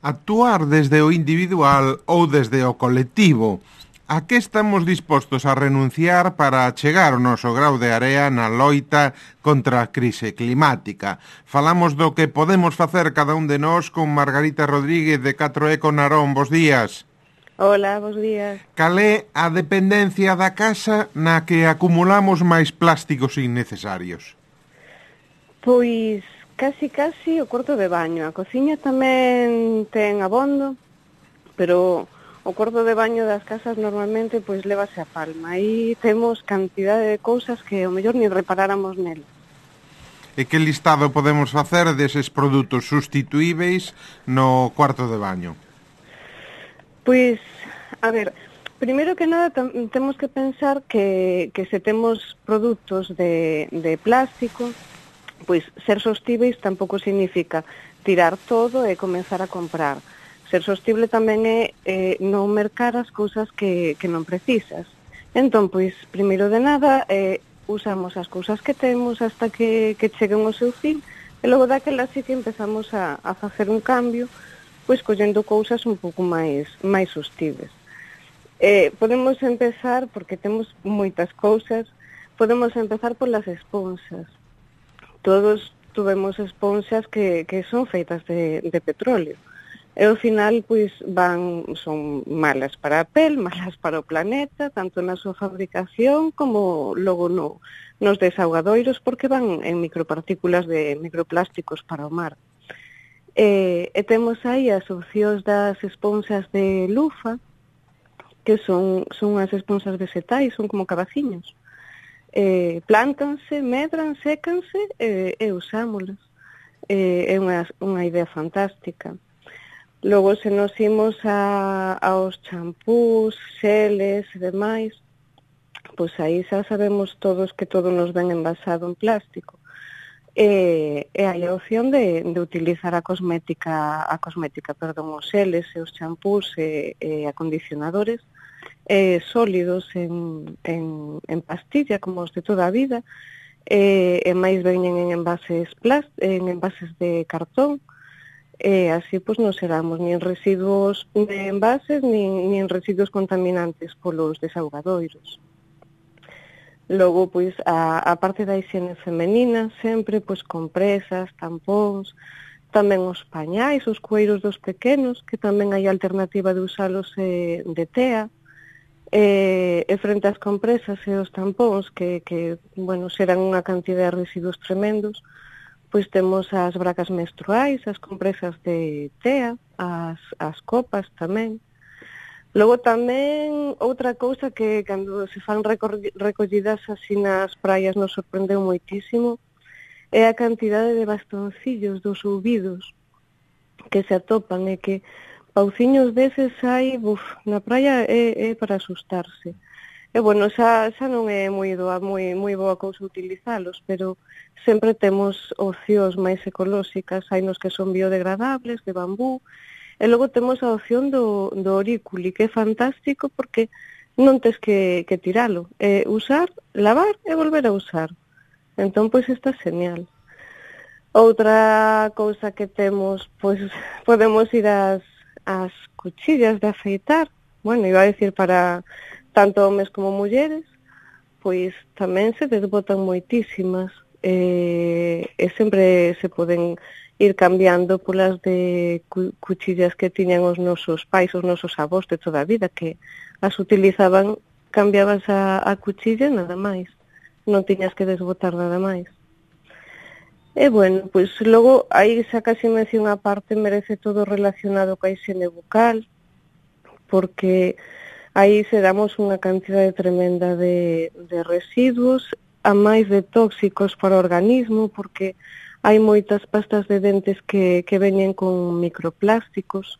Actuar desde o individual ou desde o colectivo. A que estamos dispostos a renunciar para chegar o noso grau de area na loita contra a crise climática? Falamos do que podemos facer cada un de nós con Margarita Rodríguez de 4Eco Narón. Bos días. Hola, bos días. Cal é a dependencia da casa na que acumulamos máis plásticos innecesarios? Pois casi o cuarto de baño. A cociña tamén ten abondo, pero o cuarto de baño das casas normalmente pois lévase a palma. Aí temos cantidade de cousas que ao mellor nin reparáramos nel. E que listado podemos facer deses produtos sustituíveis no cuarto de baño? Pois, a ver, primeiro que nada temos que pensar que se temos produtos de plástico, pois ser sostíveis tampouco significa tirar todo e comenzar a comprar. Ser sostible tamén é non mercar as cousas que non precisas. Entón, pois, primeiro de nada, usamos as cousas que temos hasta que cheguen ao seu fin, e logo daquela sí que empezamos a facer un cambio, pois collendo cousas un pouco máis sostibles. Podemos empezar, porque temos moitas cousas, podemos empezar polas esponxas. Todos tuvemos esponxas que son feitas de petróleo. E ao final, pois, son malas para a pel, malas para o planeta, tanto na súa fabricación como logo nos desaugadoiros, porque van en micropartículas de microplásticos para o mar. E temos aí as opcións das esponxas de lufa, que son as esponxas vegetais, son como cabaciños. Plántanse, medran, sécanse e usámolas. É unha idea fantástica. Logo, se nos imos aos champús, xeles e demais, pois aí xa sabemos todos que todo nos ven envasado en plástico. E hai a opción de utilizar os xeles e os champús e acondicionadores sólidos en pastilla, como os de toda a vida, e máis veñen en envases de cartón. E así pois non seramos nin residuos de envases nin residuos contaminantes polos desaugadoiros. Logo, pois, a parte da higiene femenina, sempre, pois, compresas, tampóns, tamén os pañais, os cueiros dos pequenos, que tamén hai alternativa de usalos de tea, e frente ás compresas e os tampóns, que xeran unha cantidad de residuos tremendos, pois temos as bracas menstruais, as compresas de tea, as copas tamén. Logo tamén, outra cousa que cando se fan recollidas así nas praias nos sorprendeu moitísimo, é a cantidade de bastoncillos dos ouvidos que se atopan, e que pauciños deses hai, na praia é para asustarse. E, xa non é moi boa cousa utilizalos, pero sempre temos opcións máis ecolóxicas, hai nos que son biodegradables, de bambú, e logo temos a opción do orículi, que é fantástico porque non tes que tiralo, usar, lavar e volver a usar. Entón, pois, está genial. Outra cousa que temos, pois, podemos ir ás cuchillas de afeitar, iba a decir para tanto homes como mulleres, pois tamén se desbotan moitísimas, e sempre se poden ir cambiando polas de cuchillas que tiñan os nosos pais, os nosos avós de toda a vida, que as utilizaban, cambiabas a cuchilla e nada máis, non tiñas que desbotar nada máis. E, pois logo, aí xa casi mención a parte, merece todo relacionado coa higiene bucal, porque aí se damos unha cantidade tremenda de residuos, a máis de tóxicos para o organismo, porque hai moitas pastas de dentes que veñen con microplásticos,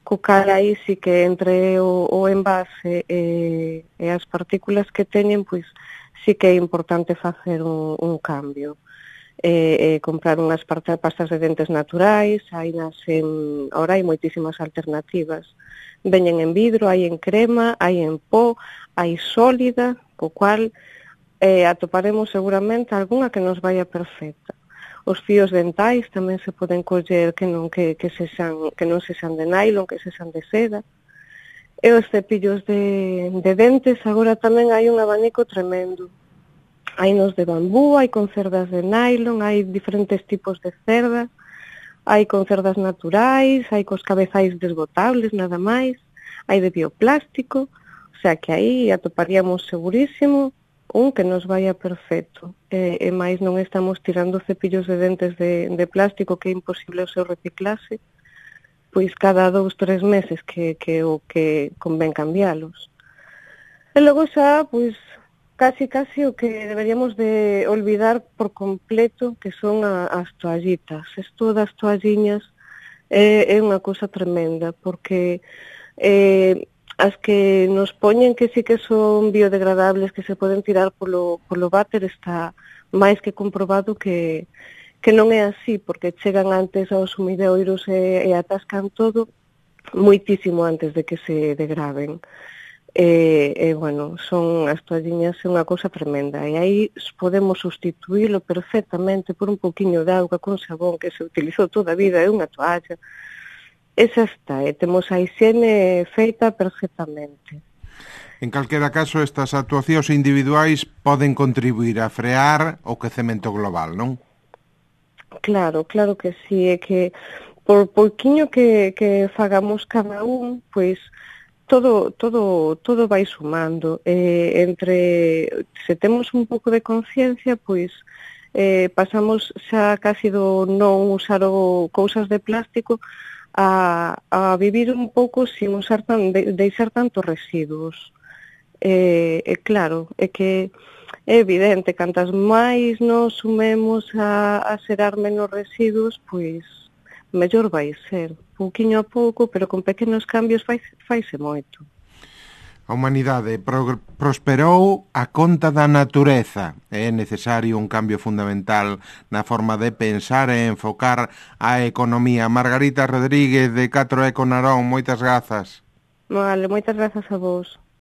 co cal aí sí que entre o envase e as partículas que teñen, pois sí que é importante facer un cambio. Comprar unhas pastas de dentes naturais, ahora hai moitísimas alternativas. Veñen en vidro, hai en crema, hai en pó, hai sólida, co cual atoparemos seguramente algunha que nos vaya perfecta. Os fíos dentais tamén se poden coller que non sexan de nylon, que sexan de seda. E os cepillos de dentes, agora tamén hai un abanico tremendo. Hai nos de bambú, hai con cerdas de nylon, hai diferentes tipos de cerdas, hai con cerdas naturais, hai cos cabezais desbotables, nada máis, hai de bioplástico, o sea que aí atoparíamos segurísimo un que nos vaya perfecto. E máis non estamos tirando cepillos de dentes de plástico que é imposible o seu reciclase, pois cada 2-3 meses que o que convén cambialos. E logo xa, pois, casi o que deberíamos de olvidar por completo, que son as toallitas. Isto das toalliñas é unha cousa tremenda, porque as que nos poñen que sí que son biodegradables, que se poden tirar polo váter, está máis que comprobado que non é así, porque chegan antes aos sumideoiros e atascan todo moitísimo antes de que se degraden. Bueno, son as toalliñas é unha cousa tremenda, e aí podemos sustituílo perfectamente por un pouquiño de auga con sabón que se utilizou toda a vida, é unha toalla, e xa está, e temos a higiene feita perfectamente. En calquera caso, estas actuacións individuais poden contribuir a frear o quecemento global, non? Claro que sí, é que por pouquiño que fagamos cada un, pois todo vai sumando. Se temos un pouco de conciencia, pois pasamos xa casi do non usar cousas de plástico a vivir un pouco sin usar deixar tantos residuos. Claro, é que é evidente, cantas máis nos sumemos a xerar menos residuos, pois mellor vai ser. Pouquiño a pouco, pero con pequenos cambios faise moito. A humanidade prosperou a conta da natureza. É necesario un cambio fundamental na forma de pensar e enfocar a economía. Margarita Rodríguez, de 4 Eco Narón, moitas grazas. Vale, moitas grazas a vos.